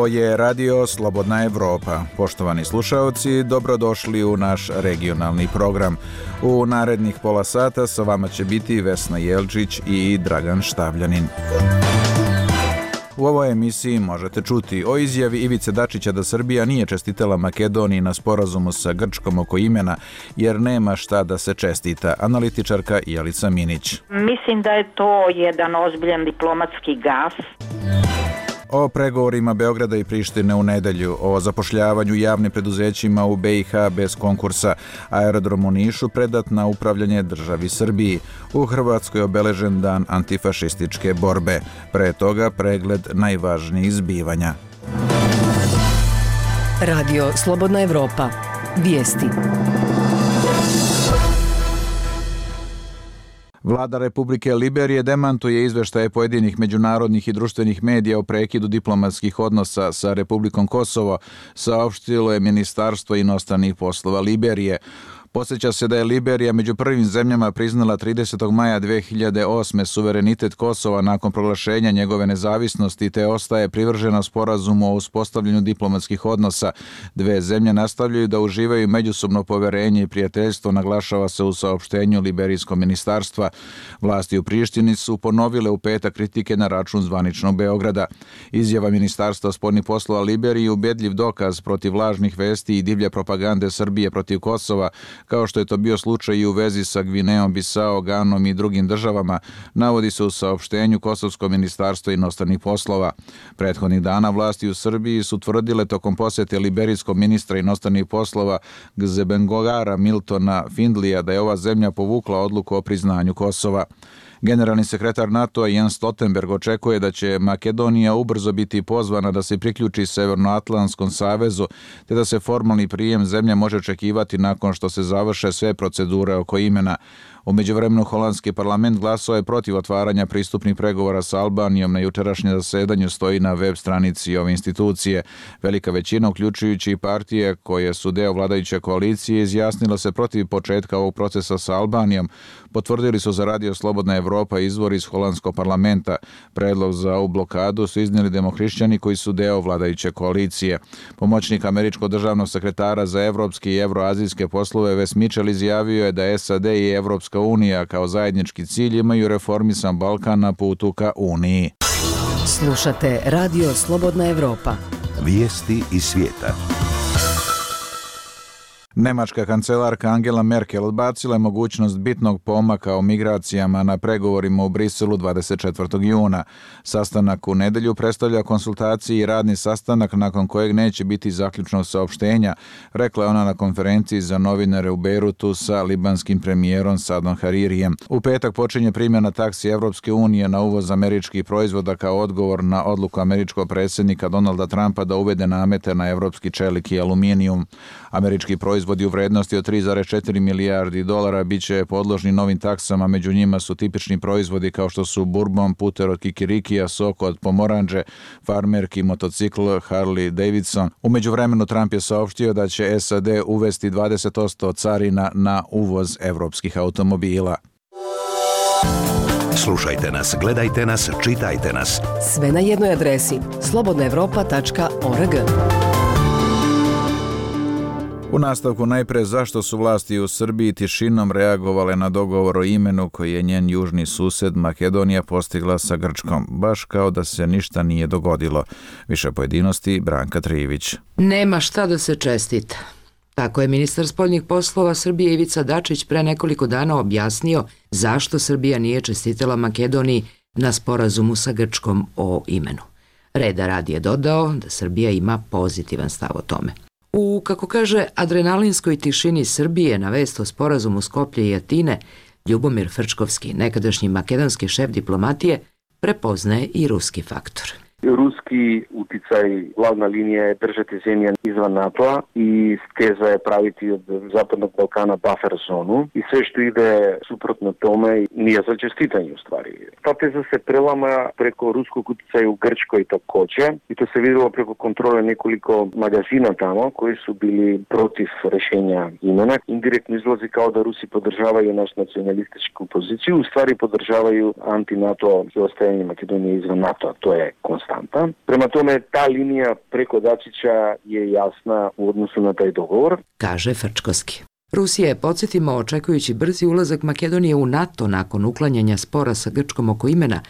Ovo je Radio Slobodna Evropa. Poštovani slušaoci, dobrodošli u naš regionalni program. U narednih pola sata sa vama će biti Vesna Jelčić i Dragan Štavljanin. U ovoj emisiji možete čuti o izjavi Ivice Dačića da Srbija nije čestitala Makedoniji na sporazumu sa Grčkom oko imena, jer nema šta da se čestita. Analitičarka Jelica Minić. Mislim da je to jedan ozbiljan diplomatski gaf. O pregovorima Beograda i Prištine u nedelju, o zapošljavanju javnim preduzećima u BiH bez konkursa, aerodrom u Nišu predat na upravljanje državi Srbiji, u Hrvatskoj obeležen dan antifašističke borbe, pre toga pregled najvažnijih zbivanja. Radio Slobodna Evropa. Vijesti. Vlada Republike Liberije demantuje izveštaje pojedinih međunarodnih i društvenih medija o prekidu diplomatskih odnosa sa Republikom Kosovo, saopštilo je Ministarstvo inostranih poslova Liberije. Podsjeća se da je Liberija među prvim zemljama priznala 30. maja 2008. suverenitet Kosova nakon proglašenja njegove nezavisnosti, te ostaje privržena sporazumu o uspostavljanju diplomatskih odnosa. Dve zemlje nastavljaju da uživaju međusobno poverenje i prijateljstvo, naglašava se u saopštenju Liberijskog ministarstva. Vlasti u Prištini su ponovile u petak kritike na račun zvaničnog Beograda. Izjava Ministarstva spoljnih poslova Liberiji je ubedljiv dokaz protiv lažnih vesti i divlje propagande Srbije protiv Kosova, kao što je to bio slučaj i u vezi sa Gvineom, Bisao, Ganom i drugim državama, navodi se u saopštenju Kosovskog ministarstva inostranih poslova. Prethodnih dana vlasti u Srbiji su tvrdile tokom posjete liberijskog ministra inostranih poslova Gzebengogara Miltona Findlija da je ova zemlja povukla odluku o priznanju Kosova. Generalni sekretar NATO-a Jens Stoltenberg očekuje da će Makedonija ubrzo biti pozvana da se priključi Severnoatlantskom savezu, te da se formalni prijem zemlje može očekivati nakon što se završe sve procedure oko imena. U međuvremenu holandski parlament glasao je protiv otvaranja pristupnih pregovora sa Albanijom. Na jučerašnjem zasedanju stoji na web stranici ove institucije. Velika većina, uključujući i partije koje su deo vladajuće koalicije, izjasnila se protiv početka ovog procesa sa Albanijom. Potvrdili su za Radio Slobodna Evropa izvor iz holandskog parlamenta. Predlog za ovu blokadu su iznijeli demohrišćani koji su deo vladajuće koalicije. Pomoćnik američkog državnog sekretara za evropske i evroazijske poslove Wes Mitchell izjavio je da SAD i Evropska unija kao zajednički cilj imaju reformisan Balkan na putu ka Uniji. Slušate Radio Slobodna Evropa. Vijesti iz svijeta. Nemačka kancelarka Angela Merkel odbacila je mogućnost bitnog pomaka o migracijama na pregovorima u Briselu 24. juna. Sastanak u nedelju predstavlja konsultacije i radni sastanak nakon kojeg neće biti zaključnog saopštenja, rekla je ona na konferenciji za novinare u Bejrutu sa libanskim premijerom Sadom Haririjem. U petak počinje primjena taksi Evropske unije na uvoz američkih proizvoda kao odgovor na odluku američkog predsjednika Donalda Trumpa da uvede namete na evropski čelik i aluminijum. Američki proizvodi u vrednosti od 3,4 milijardi dolara bit će podložni novim taksama, među njima su tipični proizvodi kao što su bourbon, puter od kikirikija, sok od pomoranđe, farmerki, motocikl, Harley Davidson. U međuvremenu Trump je saopštio da će SAD uvesti 20% carina na uvoz evropskih automobila. Slušajte nas, gledajte nas, čitajte nas. Sve na jednoj adresi slobodnaevropa.org. U nastavku najpre zašto su vlasti u Srbiji tišinom reagovale na dogovor o imenu koji je njen južni sused Makedonija postigla sa Grčkom, baš kao da se ništa nije dogodilo. Više pojedinosti Branka Trivić. Nema šta da se čestita. Tako je ministar spoljnih poslova Srbije Ivica Dačić pre nekoliko dana objasnio zašto Srbija nije čestitala Makedoniji na sporazumu sa Grčkom o imenu. Reda radi je dodao da Srbija ima pozitivan stav o tome. U, kako kaže, adrenalinskoj tišini Srbije na vest o sporazumu Skoplje i Atine, Ljubomir Frčkovski, nekadašnji makedonski šef diplomatije, prepoznaje i ruski faktor. Ruski uticaj, glavna linija je držati zemlje izvan NATO-a i teza je praviti od Zapadnog Balkana buffer zonu i sve što ide suprotno tome nije za čestitanje u stvari. Ta teza se prelama preko ruskog uticaja u Grčkoj takođe i to se vidjelo preko kontrole nekoliko magazina tamo koji su bili protiv rešenja imena. Indirektno izlazi kao da Rusi podržavaju naš nacionalističku poziciju, u stvari podržavaju anti-NATO i ostajanje Makedonije izvan NATO-a. To je konstantno. štampa. Prema tome, ta linija preko Dačića je jasna u odnosu na taj dogovor. Kaže Frčkovski. Rusija je, podsjetimo, očekujući brzi ulazak Makedonije u NATO nakon uklanjanja spora sa Grčkom oko imena,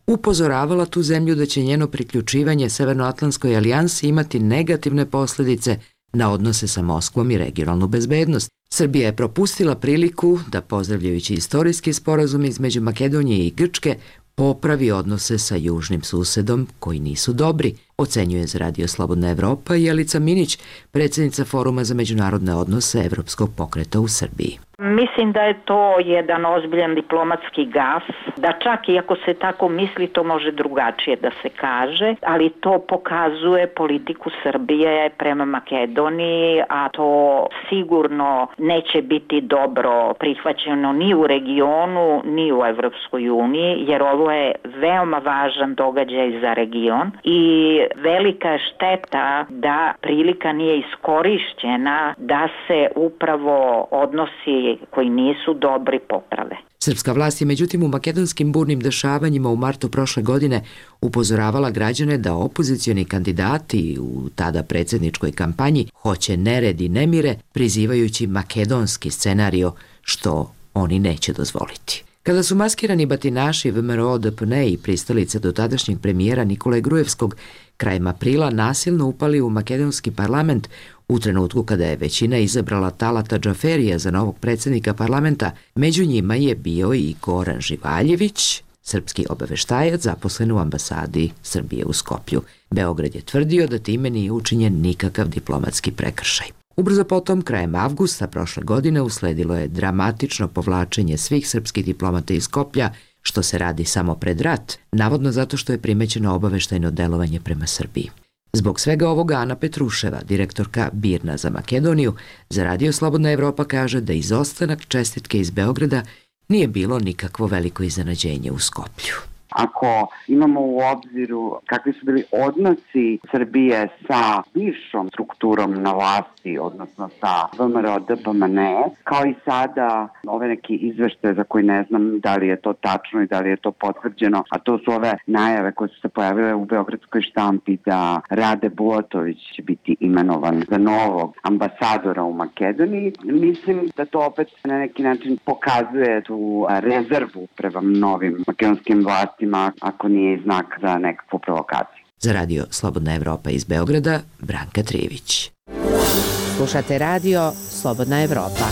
upozoravala tu zemlju da će njeno priključivanje Severnoatlantskoj alijansi imati negativne posljedice na odnose sa Moskvom i regionalnu bezbednost. Srbija je propustila priliku da, pozdravljajući istorijski sporazum između Makedonije i Grčke, popravi odnose sa južnim susedom koji nisu dobri, ocenjuje za Radio Slobodna Evropa Jelica Minić, predsjednica Foruma za međunarodne odnose Evropskog pokreta u Srbiji. Mislim da je to jedan ozbiljan diplomatski gaf, da čak i ako se tako misli, to može drugačije da se kaže, ali to pokazuje politiku Srbije prema Makedoniji, a to sigurno neće biti dobro prihvaćeno ni u regionu, ni u Evropskoj uniji, jer ovo je veoma važan događaj za region i velika je šteta da prilika nije iskorišćena da se upravo odnosi koji nisu dobri poprave. Srpska vlast je međutim u makedonskim burnim dešavanjima u martu prošle godine upozoravala građane da opozicioni kandidati u tada predsjedničkoj kampanji hoće nered i nemire, prizivajući makedonski scenario, što oni neće dozvoliti. Kada su maskirani batinaši VMRO DPN i pristalice dotadašnjeg premijera Nikole Grujevskog krajem aprila nasilno upali u makedonski parlament, u trenutku kada je većina izabrala Talata Džaferija za novog predsjednika parlamenta, među njima je bio i Goran Živaljević, srpski obaveštajac zaposlen u ambasadi Srbije u Skoplju. Beograd je tvrdio da time nije učinjen nikakav diplomatski prekršaj. Ubrzo potom, krajem avgusta prošle godine, usledilo je dramatično povlačenje svih srpskih diplomata iz Skoplja, što se radi samo pred rat, navodno zato što je primećeno obaveštajno delovanje prema Srbiji. Zbog svega ovoga Ana Petruševa, direktorka BIRN-a za Makedoniju, za Radio Slobodna Evropa kaže da izostanak čestitke iz Beograda nije bilo nikakvo veliko iznenađenje u Skoplju. Ako imamo u obziru kakvi su bili odnosi Srbije sa bivšom strukturom na vlasti, odnosno sa VMRO DPMN, kao i sada ove neki izveštaje za koje ne znam da li je to tačno i da li je to potvrđeno, a to su ove najave koje su se pojavile u beogradskoj štampi da Rade Bulatović će biti imenovan za novog ambasadora u Makedoniji. Mislim da to opet na neki način pokazuje tu rezervu prema novim makedonskim vlastima, ako nije znak za nekakvu provokaciju. Za Radio Slobodna Evropa iz Beograda, Branka Trivić. Slušate Radio Slobodna Evropa.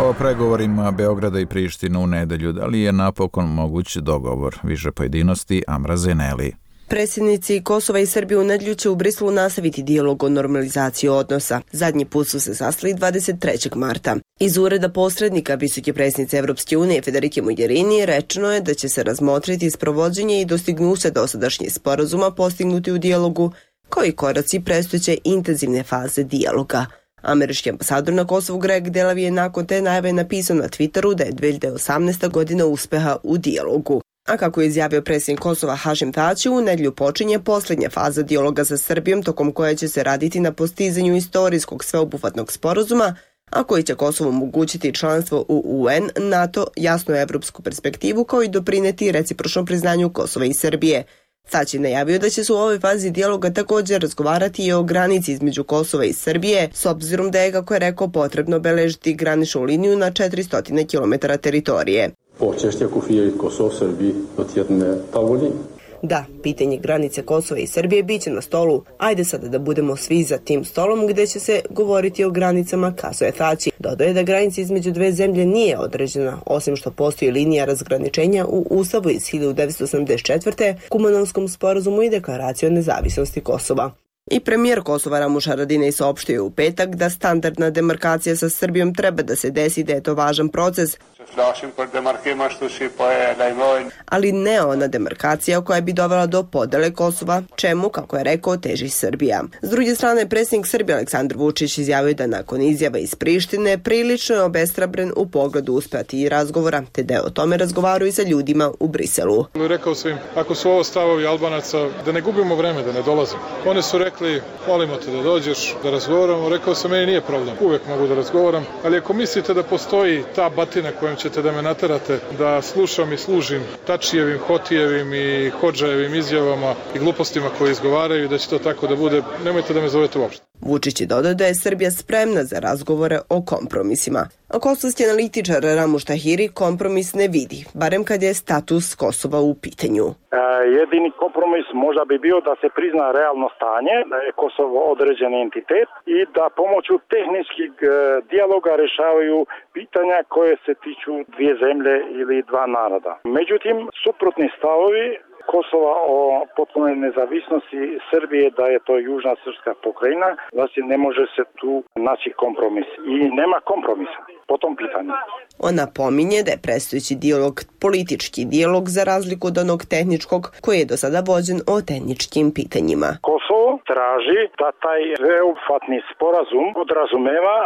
O pregovorima Beograda i Prištine u nedelju, da li je napokon moguć dogovor? Više pojedinosti, Amra Zeneli. Predsjednici Kosova i Srbije u nedelju će u Briselu nastaviti dijalog o normalizaciji odnosa. Zadnji put su se sastali 23. marta. Iz ureda posrednika visoke predsjednice Evropske unije Federike Mogherini rečeno je da će se razmotriti sprovođenje i dostignuće dosadašnjih sporazuma postignuti u dijalogu, kao i koraci predstojeće intenzivne faze dijaloga. Američki ambasador na Kosovu Greg Delavi je nakon te najave napisao na Twitteru da je 2018. godina uspeha u dijalogu. A kako je izjavio predsjednik Kosova Hašim Tači, u nedelju počinje posljednja faza dijaloga sa Srbijom, tokom koje će se raditi na postizanju istorijskog sveobuhvatnog sporazuma, a koji će Kosovu omogućiti članstvo u UN, NATO, jasnu evropsku perspektivu, kao i doprineti recipročnom priznanju Kosova i Srbije. Tači najavio da će se u ovoj fazi dijaloga također razgovarati i o granici između Kosova i Srbije, s obzirom da je, kako je rekao, potrebno obeležiti graničnu liniju na 400 km teritorije. Da, pitanje granice Kosova i Srbije biće na stolu. Ajde sada da budemo svi za tim stolom gdje će se govoriti o granicama, kazuje Tači. Dodaje da granica između dve zemlje nije određena, osim što postoji linija razgraničenja u Ustavu iz 1984. Kumanovskom sporazumu i deklaraciju o nezavisnosti Kosova. I premijer Kosova Ramuš Haradinaj saopštio u petak da standardna demarkacija sa Srbijom treba da se desi, da je to važan proces, ali ne ona demarkacija koja bi dovela do podele Kosova, čemu, kako je rekao, teži Srbija. S druge strane, predsjednik Srbije Aleksandar Vučić izjavio da nakon izjava iz Prištine prilično je obeshrabren u pogledu uspjeti i razgovora, te da je o tome razgovarao i sa ljudima u Briselu. Rekao sam im, ako su ovo stavovi Albanaca, da ne gubimo vreme, da ne dolazimo. Oni su rekli, molimo te da dođeš, da razgovaramo. Rekao sam, meni nije problem, uvijek mogu da razgovaram, ali ako mislite da postoji ta batina kojom ćete da me naterate da slušam i služim Tačijevim, Hotijevim i Hodžajevim izjavama i glupostima koje izgovaraju i da će to tako da bude, nemojte da me zovete uopšte. Vučić je dodao da je Srbija spremna za razgovore o kompromisima. A kosovski analitičar Ramuš Tahiri kompromis ne vidi, barem kad je status Kosova u pitanju. Jedini kompromis možda bi bio da se prizna realno stanje, da je Kosovo određen entitet i da pomoću tehničkih dijaloga rešavaju pitanja koje se tiču dvije zemlje ili dva naroda. Međutim, suprotni stavovi Kosova o potpunoj nezavisnosti Srbije, da je to južna srpska pokrajina, znači ne može se tu naći kompromis i nema kompromisa po tom pitanju. On napominje da je predstojeći dijalog politički dijalog za razliku od onog tehničkog koji je do sada vođen o tehničkim pitanjima. Kosovo traži da taj sveobuhvatni sporazum podrazumeva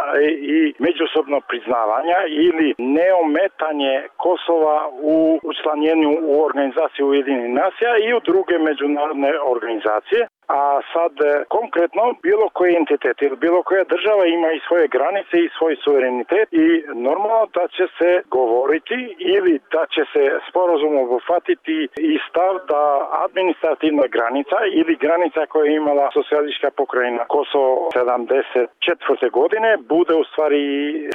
i međusobno priznavanja ili neometanje Kosova u učlanjenju u organizaciju Ujedinjenih nacija i u druge međunarodne organizacije. A sad konkretno bilo koji entitet ili bilo koja država ima i svoje granice i svoj suverenitet i normalno da će se govoriti ili da će se sporazum obuhvatiti i stav da administrativna granica ili granica koja je imala socijalistička pokrajina Kosovo 74. godine bude u stvari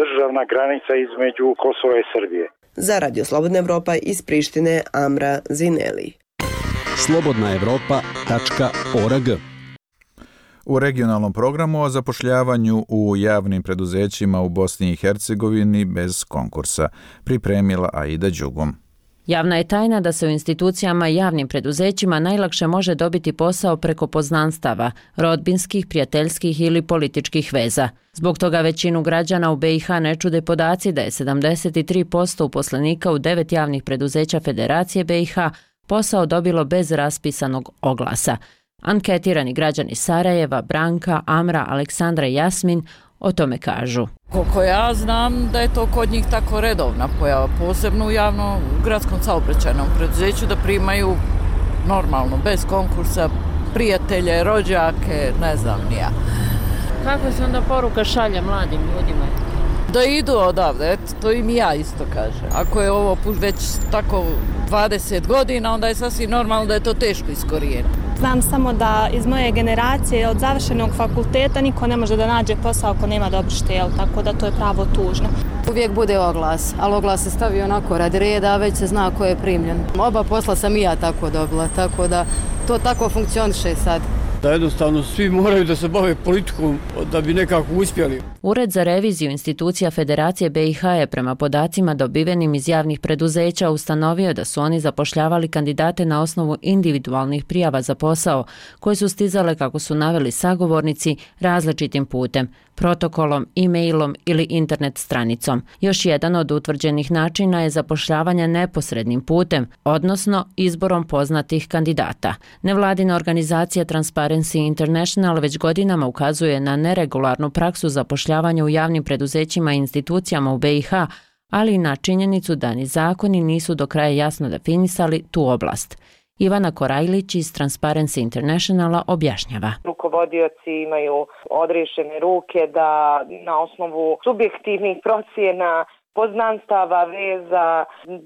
državna granica između Kosova i Srbije. Za Radio Slobodna Evropa iz Prištine Amra Zineli. slobodnaevropa.org. U regionalnom programu o zapošljavanju u javnim preduzećima u Bosni i Hercegovini bez konkursa pripremila Aida Đugum. Javna je tajna da se u institucijama i javnim preduzećima najlakše može dobiti posao preko poznanstava, rodbinskih, prijateljskih ili političkih veza. Zbog toga većinu građana u BiH ne čude podaci da je 73% uposlenika u 9 javnih preduzeća Federacije BiH posao dobilo bez raspisanog oglasa. Anketirani građani Sarajeva, Branka, Amra, Aleksandra i Jasmin o tome kažu. Koliko ja znam da je to kod njih tako redovna pojava, posebno u javnom gradskom saobraćajnom preduzeću, da primaju normalno, bez konkursa, prijatelje, rođake, ne znam ni ja. Kako se onda poruka šalje mladim ljudima? Da idu odavde, eto, to im ja isto kažem. Ako je ovo već tako 20 godina, onda je sasvim normalno da je to teško iskorijeniti. Znam samo da iz moje generacije od završenog fakulteta niko ne može da nađe posao ako nema dobru štel, tako da to je pravo tužno. Uvijek bude oglas, ali oglas se stavi onako radi reda, a već se zna ko je primljen. Oba posla sam i ja tako dobila, tako da to tako funkcioniše sad. Da jednostavno svi moraju da se bave politikom da bi nekako uspjeli. Ured za reviziju institucija Federacije BiH je prema podacima dobivenim iz javnih preduzeća ustanovio da su oni zapošljavali kandidate na osnovu individualnih prijava za posao, koje su stizale, kako su naveli sagovornici, različitim putem, protokolom, e-mailom ili internet stranicom. Još jedan od utvrđenih načina je zapošljavanje neposrednim putem, odnosno izborom poznatih kandidata. Nevladina organizacija Transparency International već godinama ukazuje na neregularnu praksu zapošljavanja u javnim preduzećima i institucijama u BiH, ali i na činjenicu da ni zakoni nisu do kraja jasno definisali tu oblast. Ivana Korajlić iz Transparency Internationala objašnjava. Rukovodioci imaju odriješene ruke da na osnovu subjektivnih procjena, poznanstava, veza,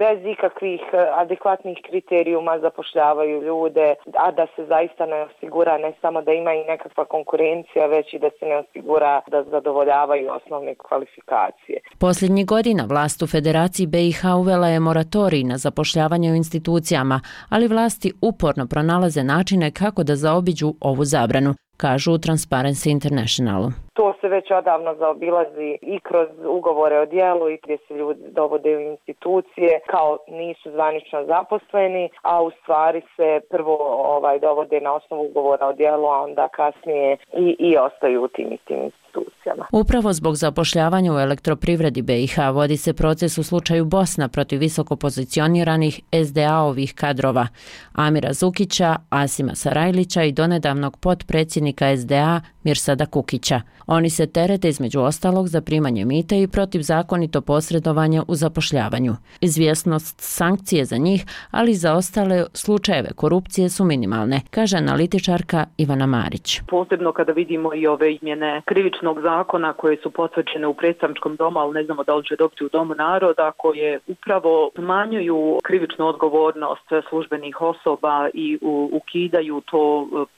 bez ikakvih adekvatnih kriterijuma zapošljavaju ljude, a da se zaista ne osigura ne samo da ima i nekakva konkurencija, već i da se ne osigura da zadovoljavaju osnovne kvalifikacije. Posljednjih godina vlast u Federaciji BiH uvela je moratorij na zapošljavanje u institucijama, ali vlasti uporno pronalaze načine kako da zaobiđu ovu zabranu, kažu u Transparency Internationalu. To se već odavno zaobilazi i kroz ugovore o djelu i gdje se ljudi dovode u institucije kao nisu zvanično zaposleni, a u stvari se prvo dovode na osnovu ugovora o djelu, a onda kasnije i ostaju u tim istim institucijama. Upravo zbog zapošljavanja u elektroprivredi BiH vodi se proces u slučaju Bosna protiv visoko pozicioniranih SDA-ovih kadrova Amira Zukića, Asima Sarajlića i donedavnog potpredsjednika SDA Mirsada Kukića. Oni se terete između ostalog za primanje mita i protivzakonito posredovanje u zapošljavanju. Izvjesnost sankcije za njih, ali i za ostale slučajeve korupcije su minimalne, kaže analitičarka Ivana Marić. Posebno kada vidimo i ove izmjene krivičnog zakona koje su potvrđene u predstavničkom domu, ali ne znamo da li će dobiti u Domu naroda, koje upravo smanjuju krivičnu odgovornost službenih osoba i ukidaju to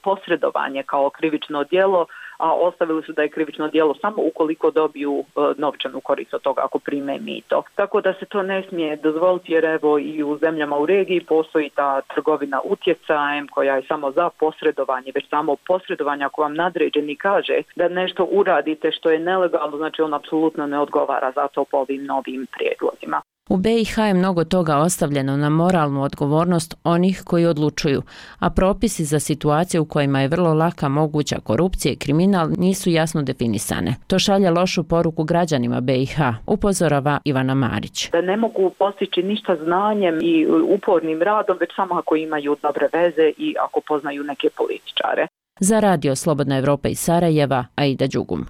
posredovanje kao krivično djelo, a ostavili su da je krivično djelo samo ukoliko dobiju novčanu korist od toga ako prime mito. Tako da se to ne smije dozvoliti, jer evo i u zemljama u regiji postoji ta trgovina utjecajem koja je samo za posredovanje, već samo posredovanje ako vam nadređeni kaže da nešto uradite što je nelegalno, znači on apsolutno ne odgovara za to po ovim novim prijedlozima. U BiH je mnogo toga ostavljeno na moralnu odgovornost onih koji odlučuju, a propisi za situacije u kojima je vrlo laka moguća korupcija i kriminal nisu jasno definisane. To šalje lošu poruku građanima BiH, upozorava Ivana Marić. Da ne mogu postići ništa znanjem i upornim radom, već samo ako imaju dobre veze i ako poznaju neke političare. Za Radio Slobodna Evropa iz Sarajeva, Aida Đugum.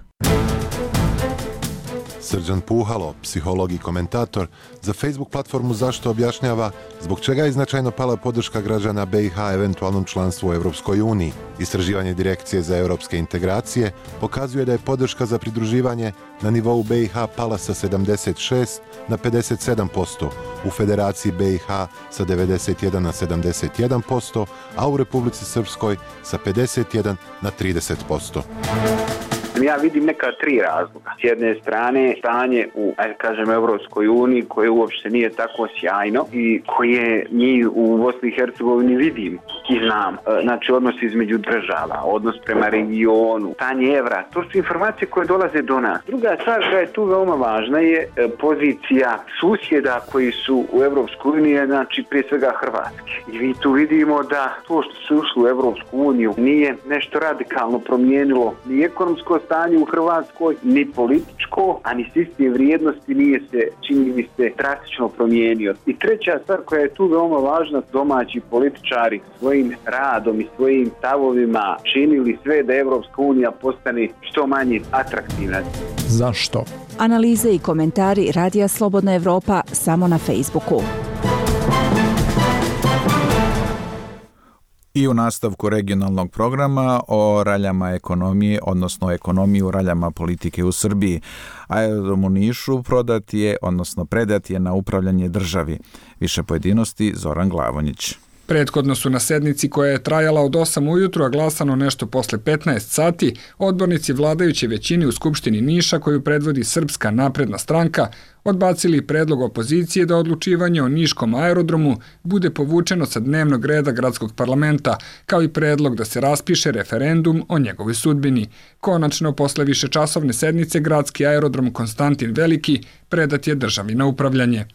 Srđan Puhalo, psiholog i komentator, za Facebook platformu Zašto objašnjava zbog čega je značajno pala podrška građana BiH eventualnom članstvu u Europskoj uniji. Istraživanje Direkcije za europske integracije pokazuje da je podrška za pridruživanje na nivou BiH pala sa 76 na 57%, u Federaciji BiH sa 91 na 71%, a u Republici Srpskoj sa 51 na 30%. Ja vidim neka tri razloga. S jedne strane, stanje u, Europskoj uniji koje uopšte nije tako sjajno i koje mi u Bosni i Hercegovini vidimo i znam. Znači, odnos između država, odnos prema regionu, stanje evra, to su informacije koje dolaze do nas. Druga stvar koja je tu veoma važna je pozicija susjeda koji su u Europskoj uniji, znači prije svega Hrvatske. I mi tu vidimo da to što su ušli u Europsku uniju nije nešto radikalno promijenilo ni ekonomsko stanje u Hrvatskoj, ni političko, a ni sistem vrijednosti nije se, čini mi se, drastično promijenio. I treća stvar koja je tu veoma važna, domaći političari svojim radom i svojim stavovima činili sve da Evropska unija postane što manje atraktivna. Zašto? Analize i komentari Radija Slobodna Evropa samo na Facebooku. I u nastavku regionalnog programa o raljama ekonomije, odnosno ekonomiji u raljama politike u Srbiji. Aerodrom u Nišu predat je na upravljanje državi. Više pojedinosti Zoran Glavonjić. Prethodno su na sednici koja je trajala od 8 ujutru, a glasano nešto posle 15 sati, odbornici vladajuće većine u Skupštini Niša, koju predvodi Srpska napredna stranka, odbacili predlog opozicije da odlučivanje o Niškom aerodromu bude povučeno sa dnevnog reda gradskog parlamenta, kao i predlog da se raspiše referendum o njegovoj sudbini. Konačno, posle višečasovne sednice, gradski aerodrom Konstantin Veliki predat je državi na upravljanje.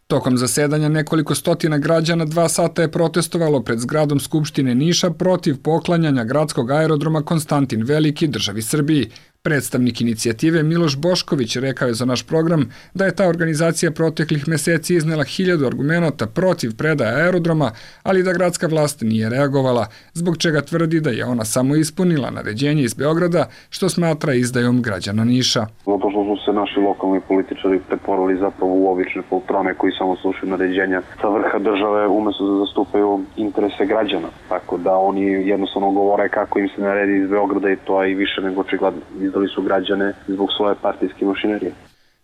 Tokom zasedanja nekoliko stotina građana 2 sata je protestovalo pred zgradom Skupštine Niša protiv poklanjanja gradskog aerodroma Konstantin Veliki državi Srbiji. Predstavnik inicijative Miloš Bošković rekao je za naš program da je ta organizacija proteklih meseci iznela 1000 argumenata protiv predaje aerodroma, ali da gradska vlast nije reagovala, zbog čega tvrdi da je ona samo ispunila naređenje iz Beograda, što smatra izdajom građana Niša. Zato što su se naši lokalni političari pretvorili zapravo u obične poltrone koji samo slušaju naređenja sa vrha države umjesto da zastupaju interese građana. Tako da oni jednostavno govore kako im se naredi iz Beograda i to je i više nego očigledno. Izdali su građane zbog svoje partijske mašinerije.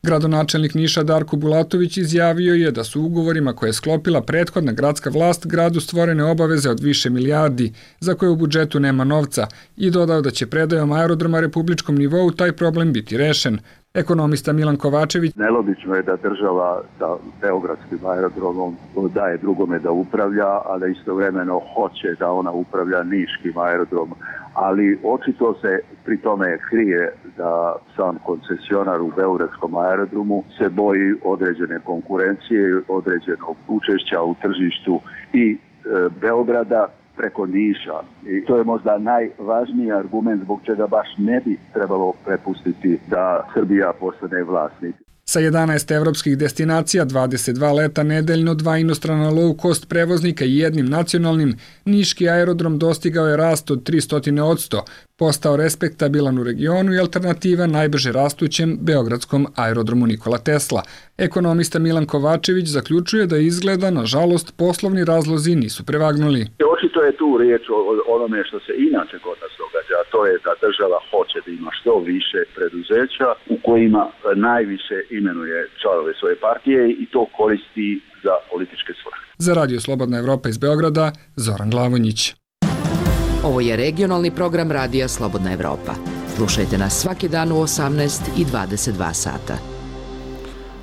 Gradonačelnik Niša Darko Bulatović izjavio je da su ugovorima koje je sklopila prethodna gradska vlast gradu stvorene obaveze od više milijardi za koje u budžetu nema novca i dodao da će predajom aerodroma republičkom nivou taj problem biti rešen. Ekonomista Milan Kovačević: nelogično je da država sa beogradskim aerodromom daje drugome da upravlja, a da istovremeno hoće da ona upravlja niškim aerodromom. Ali očito se pri tome krije da sam koncesionar u beogradskom aerodromu se boji određene konkurencije, određenog učešća u tržištu i Beograda preko Niša. I to je možda najvažniji argument zbog čega baš ne bi trebalo prepustiti da Srbija postane vlasnik. Sa 11 evropskih destinacija, 22 leta nedeljno, 2 inostrana low-cost prevoznika i jednim nacionalnim, niški aerodrom dostigao je rast od 300%, postao respektabilan u regionu i alternativa najbrže rastućem beogradskom aerodromu Nikola Tesla. Ekonomista Milan Kovačević zaključuje da izgleda, nažalost, poslovni razlozi nisu prevagnuli. Očito je tu riječ o onome što se inače kod nas događa, a to je da država hoće da ima što više preduzeća u kojima najviše imenuje članove svoje partije i to koristi za političke svrhe. Za Radio Slobodna Evropa iz Beograda, Zoran Glavonjić. Ovo je regionalni program Radija Slobodna Evropa. Slušajte nas svaki dan u 18 i 22 sata.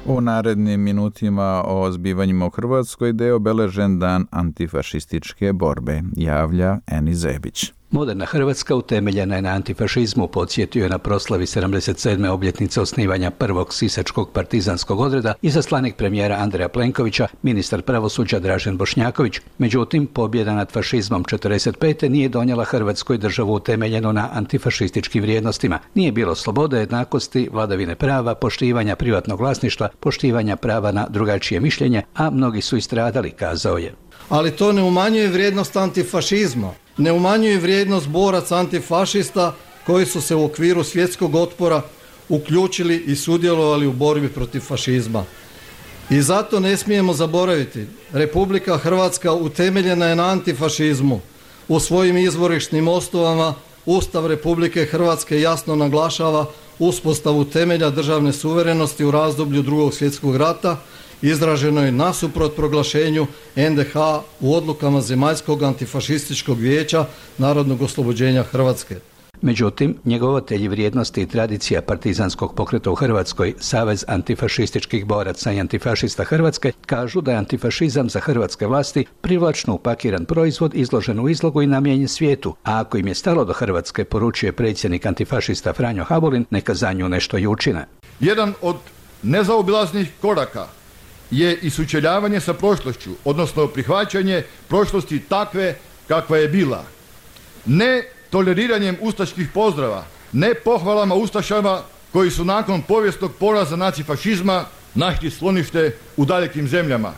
U narednim minutima o zbivanjima u Hrvatskoj gde je obeležen dan antifašističke borbe, javlja Eni Zebić. Moderna Hrvatska utemeljena je na antifašizmu, podsjetio je na proslavi 77. obljetnice osnivanja prvog sisačkog partizanskog odreda izaslanik premijera Andreja Plenkovića, ministar pravosuđa Dražen Bošnjaković. Međutim, pobjeda nad fašizmom 45. nije donijela Hrvatskoj državu utemeljenu na antifašističkim vrijednostima. Nije bilo slobode, jednakosti, vladavine prava, poštivanja privatnog vlasništva, poštivanja prava na drugačije mišljenje, a mnogi su istradali, kazao je. Ali to ne umanjuje vrijednost antifašizma. Ne umanjuje vrijednost boraca antifašista koji su se u okviru svjetskog otpora uključili i sudjelovali u borbi protiv fašizma. I zato ne smijemo zaboraviti, Republika Hrvatska utemeljena je na antifašizmu. U svojim izvorišnim osnovama Ustav Republike Hrvatske jasno naglašava uspostavu temelja državne suverenosti u razdoblju Drugog svjetskog rata, izraženo je nasuprot proglašenju NDH u odlukama Zemaljskog antifašističkog vijeća Narodnog oslobođenja Hrvatske. Međutim, njegovatelji vrijednosti i tradicija partizanskog pokreta u Hrvatskoj, Savez antifašističkih boraca i antifašista Hrvatske, kažu da je antifašizam za hrvatske vlasti privlačno upakiran proizvod izložen u izlogu i namijenjen svijetu, a ako im je stalo do Hrvatske, poručuje predsjednik antifašista Franjo Habulin, neka za nju nešto i učine. Jedan od nezaobilaznih koraka je i sučeljavanje sa prošlošću, odnosno prihvaćanje prošlosti takve kakva je bila. Ne toleriranjem ustaških pozdrava, ne pohvalama ustašama koji su nakon povijesnog poraza nacifašizma našli sklonište u dalekim zemljama.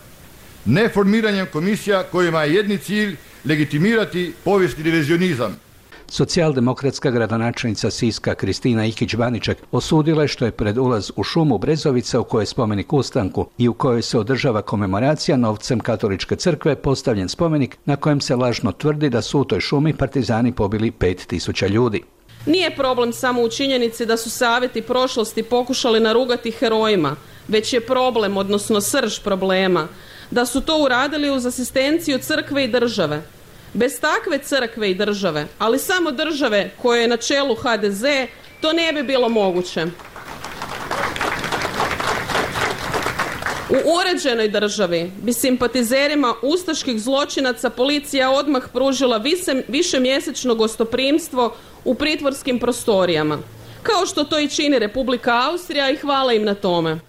Ne formiranjem komisija kojima je jedni cilj legitimirati povijesni revizionizam. Socijaldemokratska gradonačelnica Siska Kristina Ikić-Baniček osudila je što je pred ulaz u šumu Brezovica u kojoj je spomenik ustanku i u kojoj se održava komemoracija novcem katoličke crkve postavljen spomenik na kojem se lažno tvrdi da su u toj šumi partizani pobili 5000 ljudi. Nije problem samo u činjenici da su savjeti prošlosti pokušali narugati herojima, već je problem, odnosno srž problema, da su to uradili uz asistenciju crkve i države. Bez takve crkve i države, ali samo države koje je na čelu HDZ, to ne bi bilo moguće. U uređenoj državi bi simpatizerima ustaških zločinaca policija odmah pružila višemjesečno gostoprimstvo u pritvorskim prostorijama, kao što to i čini Republika Austrija i hvala im na tome.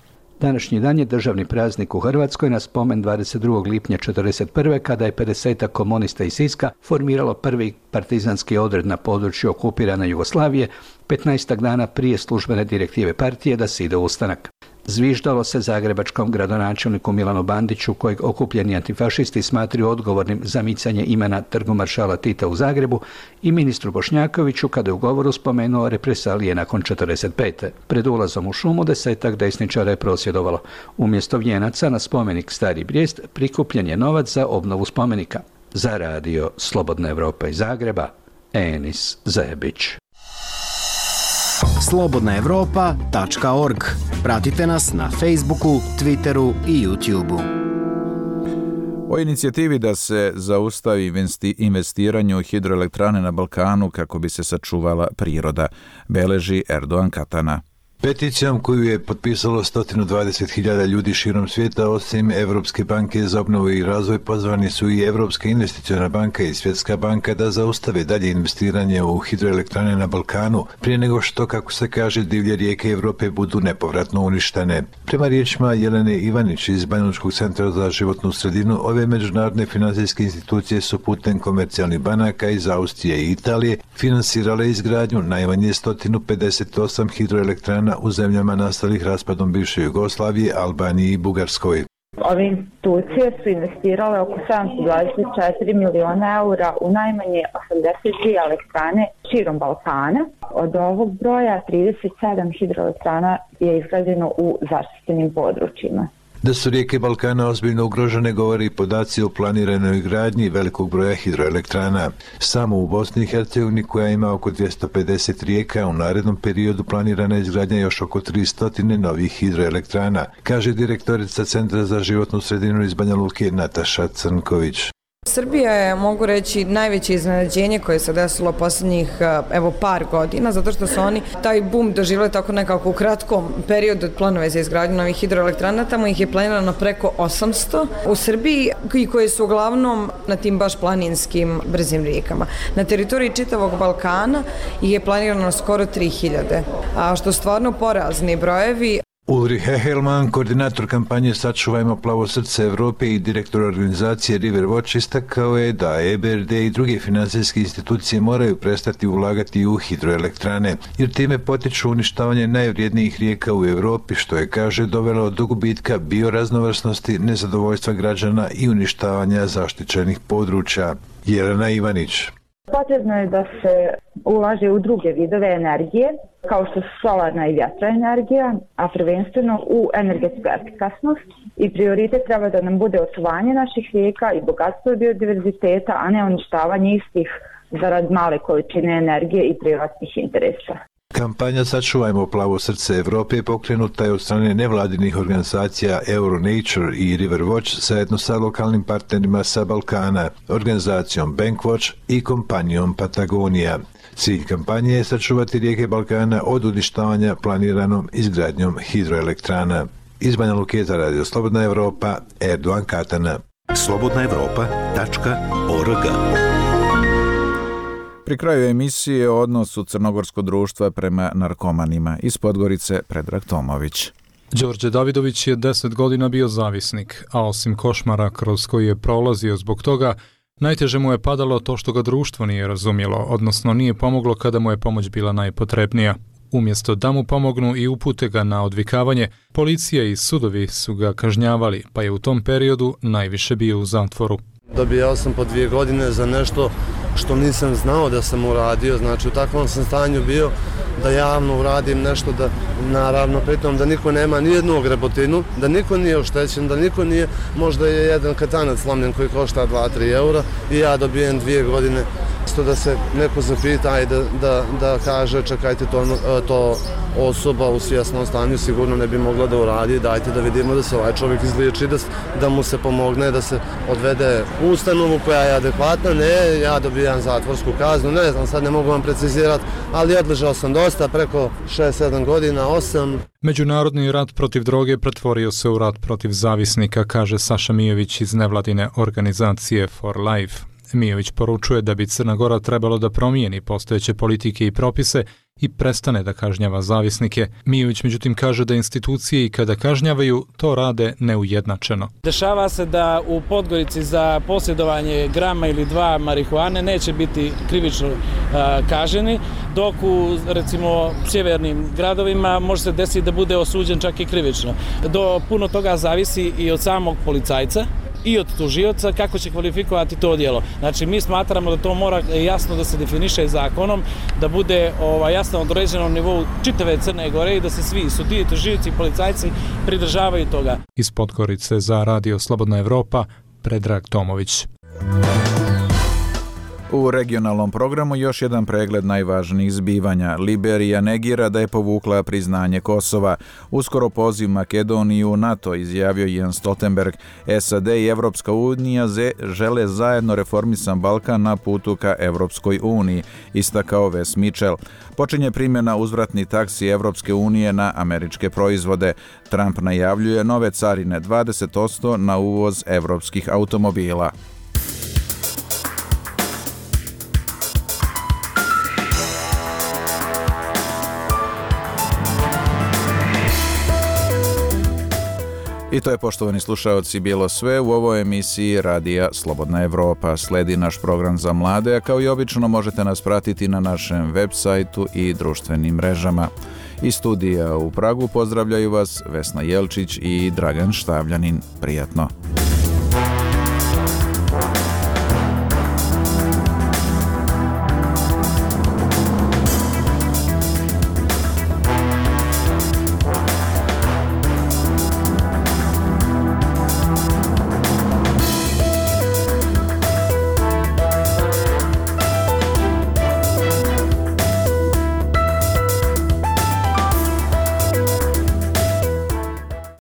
Današnji dan je državni praznik u Hrvatskoj na spomen 22. lipnja 1941. kada je 50 komunista iz Siska formiralo prvi partizanski odred na području okupirane Jugoslavije 15 dana prije službene direktive partije da se ide u ustanak. Zviždalo se zagrebačkom gradonačelniku Milanu Bandiću, kojeg okupljeni antifašisti smatraju odgovornim za micanje imena Trgu maršala Tita u Zagrebu, i ministru Bošnjakoviću kada je u govoru spomenuo represalije nakon 45. Pred ulazom u šumu 10 desničara je prosvjedovalo. Umjesto vijenaca na spomenik Stari Brijest prikupljen je novac za obnovu spomenika. Za Radio Slobodna Evropa iz Zagreba, Enis Zebić. slobodnaevropa.org. Pratite nas na Facebooku, Twitteru i YouTubeu. O inicijativi da se zaustavi investiranje u hidroelektrane na Balkanu kako bi se sačuvala priroda, beleži Erdogan Katana. Peticijom koju je potpisalo 120.000 ljudi širom svijeta, osim Evropske banke za obnovu i razvoj, pozvani su i Evropska investiciona banka i Svjetska banka da zaustave dalje investiranje u hidroelektrane na Balkanu, prije nego što, kako se kaže, divlje rijeke Europe budu nepovratno uništene. Prema riječima Jelene Ivanić iz Banjalučkog centra za životnu sredinu, ove međunarodne financijske institucije su putem komercijalnih banaka iz Austrije i Italije finansirale izgradnju najmanje 158 hidroelektrana elektrana u zemljama nastalih raspadom bivše Jugoslavije, Albaniji i Bugarskoj. Ove institucije su investirale oko 724 miliona eura u najmanje 82 elektrane širom Balkana. Od ovog broja 37 hidroelektrana je izgrađeno u zaštićenim područjima. Da su rijeke Balkana ozbiljno ugrožene govori i podaci o planiranoj gradnji velikog broja hidroelektrana. Samo u Bosni i Hercegovini, koja ima oko 250 rijeka, u narednom periodu planirana izgradnja još oko 300 novih hidroelektrana, kaže direktorica Centra za životnu sredinu iz Banja Luke Nataša Crnković. Srbija je, mogu reći, najveće iznenađenje koje se desilo posljednjih par godina, zato što su oni taj bum doživjeli tako nekako u kratkom periodu od planove za izgradnju novih hidroelektrana. Tamo ih je planirano preko 800 u Srbiji, i koje su uglavnom na tim baš planinskim brzim rijekama. Na teritoriji čitavog Balkana ih je planirano skoro 3000, a što stvarno porazni brojevi. Ulrich Hehelman, koordinator kampanje Sačuvajmo plavo srce Evrope i direktor organizacije River Watch, istakao je da EBRD i druge finansijske institucije moraju prestati ulagati u hidroelektrane, jer time potiču uništavanje najvrijednijih rijeka u Evropi, što je, kaže, dovelo do gubitka bioraznovrsnosti, nezadovoljstva građana i uništavanja zaštićenih područja. Jelena Ivanić. Potrebno je da se ulaže u druge vidove energije, kao što su solarna i vjetroenergija, a prvenstveno u energetsku efikasnost, i prioritet treba da nam bude očuvanje naših rijeka i bogatstvo biodiverziteta, a ne uništavanje istih zarad male količine energije i privatnih interesa. Kampanja Sačuvajmo plavo srce Evrope pokrenuta je od strane nevladinih organizacija EuroNature i River Watch zajedno sa lokalnim partnerima sa Balkana, organizacijom Bankwatch i kompanijom Patagonija. Cilj kampanje je sačuvati rijeke Balkana od uništavanja planiranom izgradnjom hidroelektrana. Iz Banja Luke za Radio Slobodna Evropa, Erdogan Katana. slobodnaevropa.org. Pri kraju emisije o odnosu crnogorskog društva prema narkomanima. Iz Podgorice Predrag Tomović. Đorđe Davidović je 10 godina bio zavisnik, a osim košmara kroz koji je prolazio zbog toga, najteže mu je padalo to što ga društvo nije razumjelo, odnosno nije pomoglo kada mu je pomoć bila najpotrebnija. Umjesto da mu pomognu i upute ga na odvikavanje, policija i sudovi su ga kažnjavali, pa je u tom periodu najviše bio u zatvoru. Dobijao sam po 2 godine za nešto što nisam znao da sam uradio, znači u takvom sam stanju bio da javno uradim nešto, da naravno pritom da niko nema nijednu grebotinu, da niko nije oštećen, da niko nije, možda je jedan katanac slomljen koji košta 2-3 eura i ja dobijem 2 godine. Isto da se neko zapita i da kaže čekajte to osoba u svjesnom stanju sigurno ne bi mogla da uradi, dajte da vidimo da se ovaj čovjek izliječi, da mu se pomogne, da se odvede u ustanovu koja je adekvatna. Ne, ja dobijam zatvorsku kaznu, ne znam, sad ne mogu vam precizirati, ali odležao sam dosta, preko 6-7 godina, 8. Međunarodni rat protiv droge pretvorio se u rat protiv zavisnika, kaže Saša Mijović iz nevladine organizacije For Life. Mijović poručuje da bi Crna Gora trebalo da promijeni postojeće politike i propise i prestane da kažnjava zavisnike. Mijović međutim kaže da institucije i kada kažnjavaju to rade neujednačeno. Dešava se da u Podgorici za posjedovanje grama ili 2 marihuane neće biti krivično kažnjeni, dok u recimo sjevernim gradovima može se desiti da bude osuđen čak i krivično. Do puno toga zavisi i od samog policajca i od tužioca kako će kvalifikovati to djelo. Znači mi smatramo da to mora jasno da se definiše zakonom, da bude jasno određeno na nivou čitave Crne Gore i da se svi sudije, tužioci i policajci pridržavaju toga. Iz Podgorice za Radio Slobodna Evropa, Predrag Tomović. U regionalnom programu još jedan pregled najvažnijih zbivanja. Liberija negira da je povukla priznanje Kosova. Uskoro poziv Makedoniju u NATO, izjavio Jens Stoltenberg. SAD i Evropska unija žele zajedno reformisan Balkan na putu ka Evropskoj uniji, istakao Wes Mitchell. Počinje primjena uzvratnih taksi Evropske unije na američke proizvode. Trump najavljuje nove carine 20% na uvoz evropskih automobila. I to je, poštovani slušaoci, bilo sve u ovoj emisiji Radija Slobodna Evropa. Sledi naš program za mlade, a kao i obično možete nas pratiti na našem web sajtu i društvenim mrežama. Iz studija u Pragu pozdravljaju vas Vesna Jelčić i Dragan Štavljanin. Prijatno.